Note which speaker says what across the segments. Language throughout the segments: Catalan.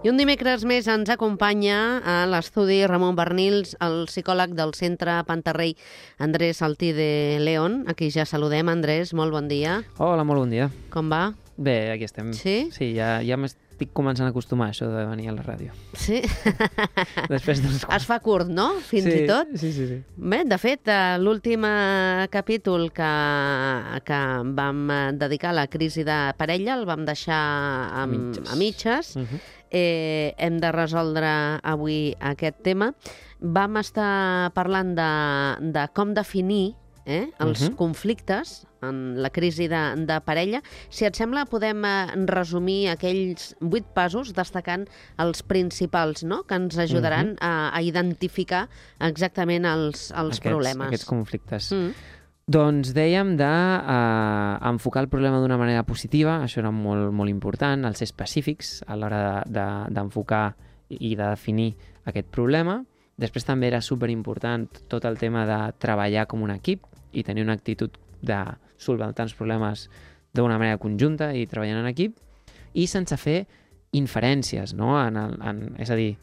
Speaker 1: I un dimecres més ens acompanya a l'estudi Ramon Barnils, el psicòleg del Centre Pantarrey, Andrés Altí de León. Aquí ja saludem. Andrés, molt bon dia.
Speaker 2: Hola, molt bon dia.
Speaker 1: Com va?
Speaker 2: Bé, aquí estem.
Speaker 1: Sí?
Speaker 2: Sí, ja m'estic començant a acostumar a això de venir a la ràdio.
Speaker 1: Sí?
Speaker 2: Després d'uns
Speaker 1: Es fa curt, no? Fins i tot?
Speaker 2: Sí.
Speaker 1: Bé, de fet, l'últim capítol que vam dedicar a la crisi de parella el vam deixar a mitges. Hem de resoldre avui aquest tema. Vam estar parlant de com definir els conflictes en la crisi de parella. Si et sembla, podem resumir aquells 8 passos destacant els principals, no?, que ens ajudaran a identificar exactament els problemes.
Speaker 2: Aquests conflictes. Doncs dèiem d'enfocar el problema d'una manera positiva, això era molt, molt important, el ser específics a l'hora d'enfocar i de definir aquest problema. Després també era superimportant tot el tema de treballar com un equip i tenir una actitud de solventar els problemes d'una manera conjunta i treballant en equip, i sense fer inferències, no? És a dir,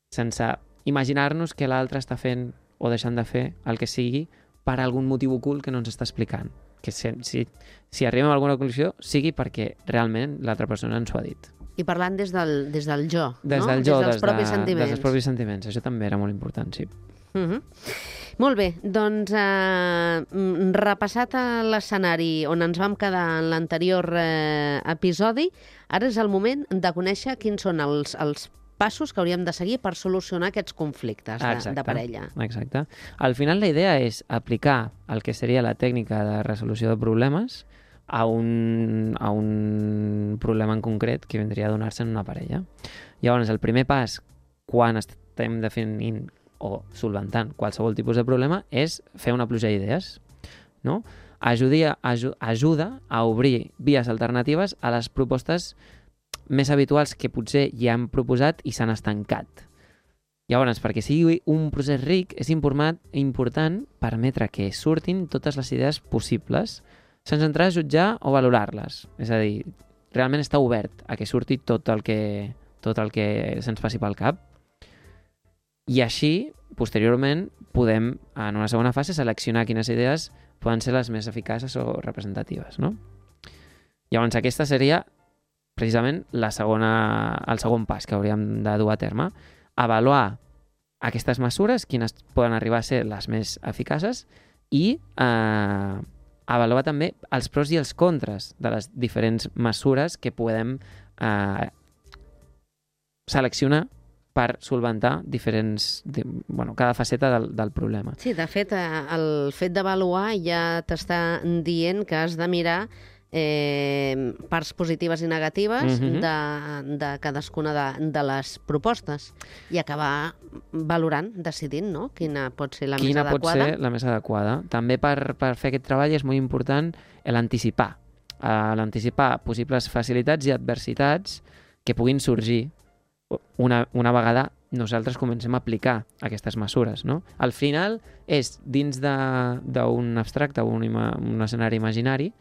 Speaker 2: sense imaginar-nos que l'altre està fent o deixant de fer el que sigui per algun motiu ocult que no ens està explicant. Que si arribem a alguna conclusió, sigui perquè realment l'altra persona ens ho ha dit.
Speaker 1: I parlant des del jo,
Speaker 2: des
Speaker 1: no?
Speaker 2: Del jo,
Speaker 1: des dels propis sentiments.
Speaker 2: Des dels propis sentiments. Això també era molt important, sí.
Speaker 1: Molt bé, doncs repassat l'escenari on ens vam quedar en l'anterior episodi, ara és el moment de conèixer quins són els passos que hauríem de seguir per solucionar aquests conflictes de parella.
Speaker 2: Exacte. Al final la idea és aplicar el que seria la tècnica de resolució de problemes a un problema en concret que vindria a donar-se en una parella. Llavors, el primer pas quan estem definint o solventant qualsevol tipus de problema és fer una pluja d'idees, no? Ajuda a obrir vies alternatives a les propostes més habituals que potser ja hem proposat i s'han estancat. Llavors, perquè sigui un procés ric, és important permetre que surtin totes les idees possibles sense entrar a jutjar o valorar-les. És a dir, realment està obert a que surti tot el que se'ns passi pel cap. I així, posteriorment, podem, en una segona fase, seleccionar quines idees poden ser les més eficaces o representatives, no? Llavors, aquesta seria precisament el segon pas que hauríem de dur a terme. Avaluar aquestes mesures, quines poden arribar a ser les més eficaces, i avaluar també els pros i els contres de les diferents mesures que podem seleccionar per solventar cada faceta del problema.
Speaker 1: Sí, de fet, el fet d'avaluar ja t'està dient que has de mirar parts positives i negatives de cadascuna de les propostes i acabar valorant, decidint, no?, quina pot ser la més adequada.
Speaker 2: Quina pot ser la més adequada. També per fer aquest treball és molt important l'anticipar. L'anticipar possibles facilitats i adversitats que puguin sorgir una vegada nosaltres comencem a aplicar aquestes mesures, no? Al final és dins d'un abstracte o un escenari imaginari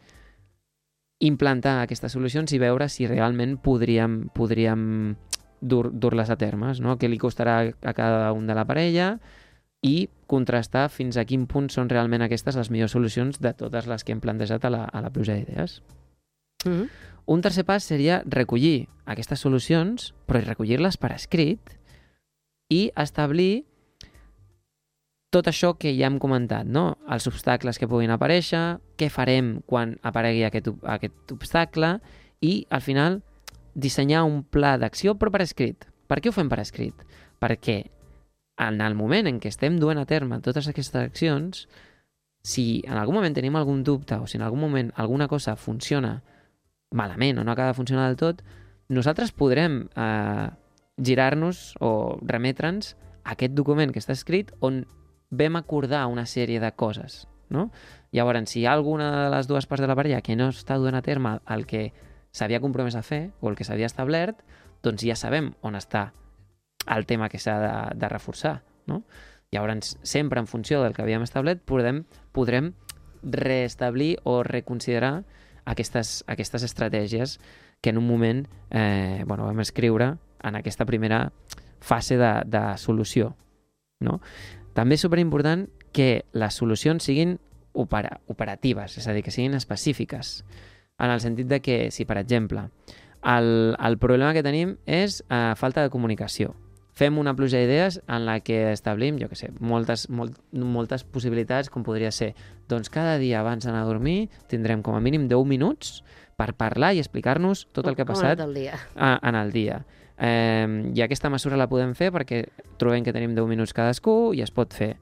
Speaker 2: implantar aquestes solucions i veure si realment podríem dur-les a termes, no? Què li costarà a cada un de la parella i contrastar fins a quin punt són realment aquestes les millors solucions de totes les que hem plantejat a la pluja d'idees. Un tercer pas seria recollir aquestes solucions, però recollir-les per escrit i establir tot això que ja hem comentat, no? Els obstacles que puguin aparèixer, què farem quan aparegui aquest obstacle i, al final, dissenyar un pla d'acció, però per escrit. Per què ho fem per escrit? Perquè en el moment en què estem duent a terme totes aquestes accions, si en algun moment tenim algun dubte o si en algun moment alguna cosa funciona malament o no acaba de funcionar del tot, nosaltres podrem girar-nos o remetre'ns a aquest document que està escrit on vam acordar una sèrie de coses, no? Llavors, si hi ha alguna de les dues parts de la parella que no està duent a terme el que s'havia compromès a fer o el que s'havia establert, doncs ja sabem on està el tema que s'ha de reforçar, no? Llavors, sempre en funció del que havíem establert, podrem reestablir o reconsiderar aquestes estratègies que en un moment vam escriure en aquesta primera fase de solució. No? També és superimportant que les solucions siguin operatives, és a dir, que siguin específiques, en el sentit de que, si per exemple el problema que tenim és falta de comunicació, fem una pluja d'idees en la que establim, jo què sé, moltes possibilitats, com podria ser, doncs cada dia abans d'anar a dormir tindrem com a mínim 10 minuts per parlar i explicar-nos tot el que ha passat en el dia. I aquesta mesura la podem fer perquè trobem que tenim 10 minuts cadascú i es pot fer.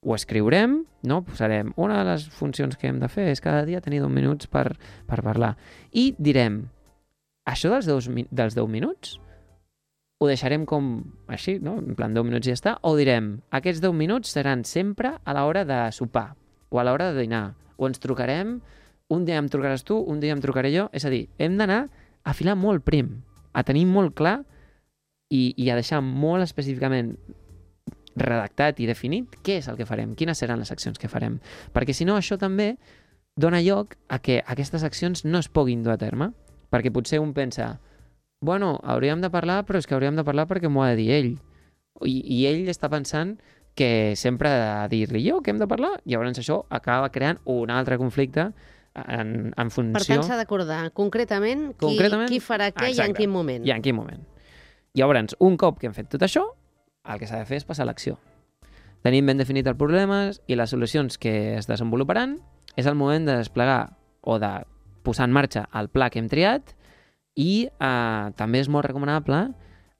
Speaker 2: Ho escriurem, no? Posarem una de les funcions que hem de fer és cada dia tenir 10 minuts per parlar. I direm, això dels 10 minuts ho deixarem com així, no? En plan 10 minuts i ja està, o direm, aquests 10 minuts seran sempre a l'hora de sopar o a l'hora de dinar, o ens trucarem, un dia em trucaràs tu, un dia em trucaré jo, és a dir, hem d'anar a filar molt prim, a tenir molt clar i a deixar molt específicament redactat i definit què és el que farem, quines seran les accions que farem. Perquè si no, això també dona lloc a que aquestes accions no es puguin dur a terme. Perquè potser un pensa, bueno, hauríem de parlar, però és que hauríem de parlar perquè m'ho ha de dir ell. I ell està pensant que sempre ha de dir-li jo que hem de parlar, i llavors això acaba creant un altre conflicte en funció...
Speaker 1: Per tant, s'ha d'acordar concretament qui farà què. Exacte. I en quin moment.
Speaker 2: I en quin moment. Llavors, un cop que hem fet tot això, el que s'ha de fer és passar a l'acció. Tenim ben definit els problemes i les solucions que es desenvoluparan, és el moment de desplegar o de posar en marxa el pla que hem triat i també és molt recomanable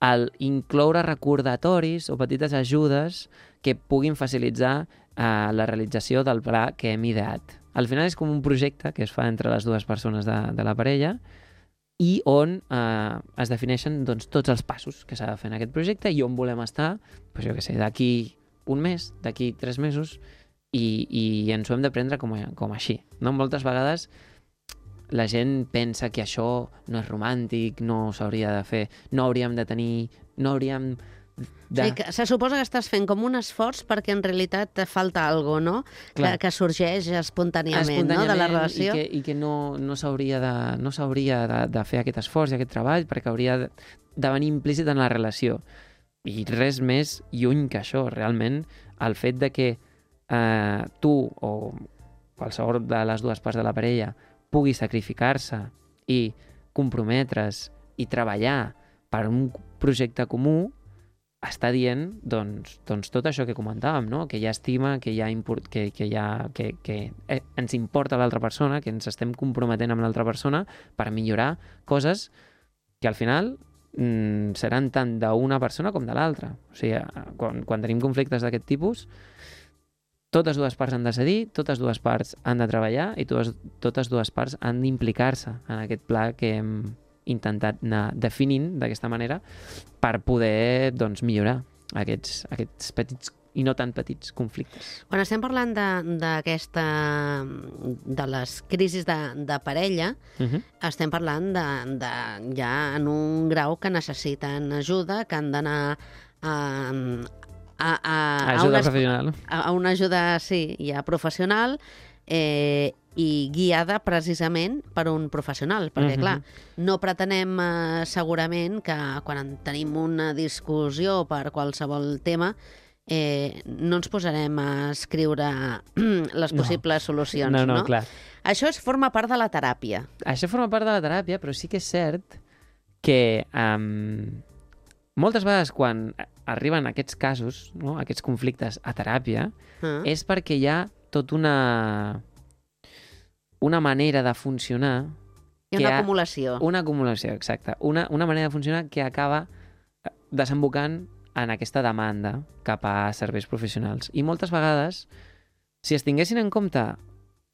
Speaker 2: el incloure recordatoris o petites ajudes que puguin facilitar la realització del pla que hem ideat. Al final és com un projecte que es fa entre les dues persones de la parella i on es defineixen doncs, tots els passos que s'ha de fer en aquest projecte i on volem estar, doncs, jo què sé, d'aquí un mes, d'aquí 3 mesos, i ens ho hem de prendre com així. No? Moltes vegades la gent pensa que això no és romàntic, no s'hauria de fer, no hauríem de tenir... no hauríem de...
Speaker 1: Sí, que se suposa que estàs fent com un esforç perquè en realitat te falta alguna cosa, que sorgeix espontàniament, no? De la relació.
Speaker 2: I que no s'hauria de fer aquest esforç i aquest treball perquè hauria de venir implícit en la relació. I res més lluny que això, realment, el fet de que tu o qualsevol de les dues parts de la parella pugui sacrificar-se i comprometre's i treballar per un projecte comú està dient doncs tot això que comentàvem, no? Que hi ha estima, que ens importa l'altra persona, que ens estem comprometent amb l'altra persona per millorar coses que al final seran tant d'una persona com de l'altra. O sigui, quan tenim conflictes d'aquest tipus, totes dues parts han de cedir, totes dues parts han de treballar i totes dues parts han d'implicar-se en aquest pla que hem intentat anar definint d'aquesta manera per poder doncs, millorar aquests petits i no tan petits conflictes.
Speaker 1: Quan estem parlant de les crisis de parella, estem parlant ja en un grau que necessiten ajuda, que han d'anar
Speaker 2: professional.
Speaker 1: A una ajuda, sí, ja professional, i guiada precisament per un professional, perquè, clar, no pretenem segurament que quan tenim una discussió per qualsevol tema no ens posarem a escriure les possibles solucions, no?
Speaker 2: Clar.
Speaker 1: Això forma part de la teràpia.
Speaker 2: Això forma part de la teràpia, però sí que és cert que moltes vegades quan arriben aquests casos, no? Aquests conflictes a teràpia, és perquè hi ha tot una manera de funcionar...
Speaker 1: Hi ha una acumulació.
Speaker 2: Una acumulació, exacte. Una manera de funcionar que acaba desembocant en aquesta demanda cap a serveis professionals. I moltes vegades, si es tinguessin en compte,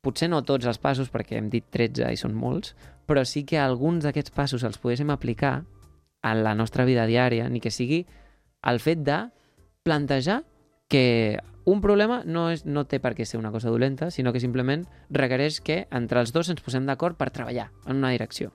Speaker 2: potser no tots els passos, perquè hem dit 13 i són molts, però sí que alguns d'aquests passos els poguéssim aplicar en la nostra vida diària, ni que sigui el fet de plantejar que un problema no té per què ser una cosa dolenta, sinó que simplement requereix que entre els dos ens posem d'acord per treballar en una direcció.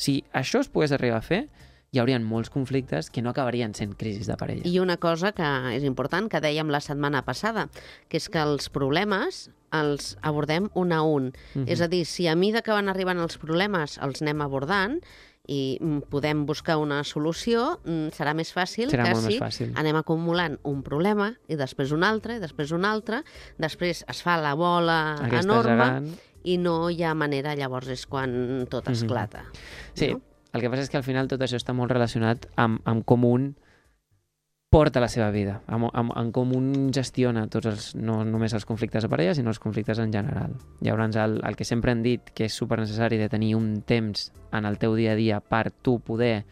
Speaker 2: Si això es pogués arribar a fer, hi haurien molts conflictes que no acabarien sent crisis de parella.
Speaker 1: I una cosa que és important, que dèiem la setmana passada, que és que els problemes els abordem un a un. És a dir, si a mesura que van arribant els problemes els anem abordant, i podem buscar una solució, serà més fàcil
Speaker 2: Serà
Speaker 1: que
Speaker 2: molt
Speaker 1: si
Speaker 2: més fàcil.
Speaker 1: anem acumulant un problema i després un altre, i després un altre, després es fa la bola
Speaker 2: Aquesta
Speaker 1: enorme
Speaker 2: gegant.
Speaker 1: i no hi ha manera, llavors és quan tot esclata.
Speaker 2: Sí,
Speaker 1: no?
Speaker 2: el que passa és que al final tot això està molt relacionat amb com un porta la seva vida, amb com un gestiona no només els conflictes de parella, sinó els conflictes en general. Llavors, el que sempre hem dit, que és supernecessari de tenir un temps en el teu dia a dia per tu poder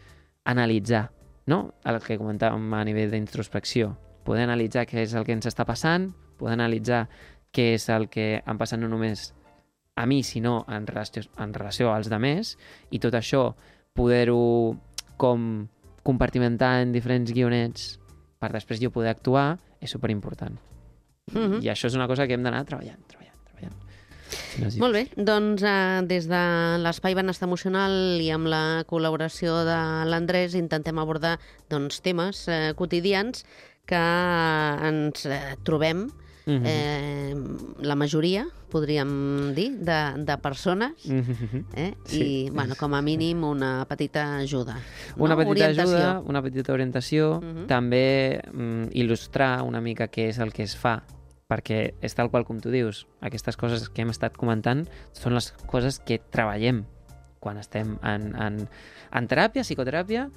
Speaker 2: analitzar, no? El que comentàvem a nivell d'introspecció, poder analitzar què és el que ens està passant, poder analitzar què és el que em passa no només a mi, sinó en relació als demés, i tot això poder-ho com compartimentar en diferents guionets per després jo poder actuar és superimportant. I això és una cosa que hem d'anar treballant. Si no és
Speaker 1: Molt bé, doncs des de l'Espai Benestar Emocional i amb la col·laboració de l'Andrés intentem abordar temes quotidians que ens trobem la majoria, podríem dir, de persones, i, com a mínim, una petita ajuda.
Speaker 2: Una petita ajuda, una petita orientació, també il·lustrar una mica què és el que es fa, perquè és tal qual com tu dius, aquestes coses que hem estat comentant són les coses que treballem quan estem en teràpia, psicoteràpia,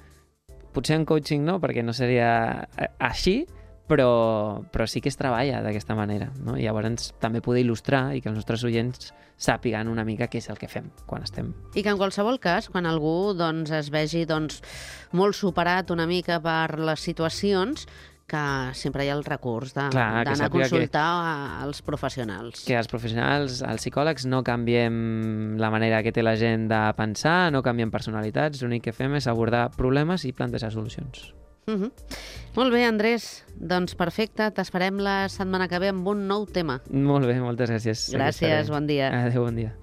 Speaker 2: potser en coaching no, perquè no seria així, però sí que es treballa d'aquesta manera, no? I llavors també poder il·lustrar i que els nostres oients sàpiguen una mica què és el que fem quan estem.
Speaker 1: I que en qualsevol cas, quan algú es vegi molt superat una mica per les situacions, que sempre hi ha el recurs d'anar a consultar als professionals.
Speaker 2: Que els professionals, els psicòlegs, no canviem la manera que té la gent de pensar, no canviem personalitats, l'únic que fem és abordar problemes i plantejar solucions.
Speaker 1: Molt bé, Andrés. Doncs perfecte, t'esperem la setmana que ve amb un nou tema.
Speaker 2: Molt bé, moltes gràcies.
Speaker 1: Gràcies, bon dia.
Speaker 2: Adéu, bon dia.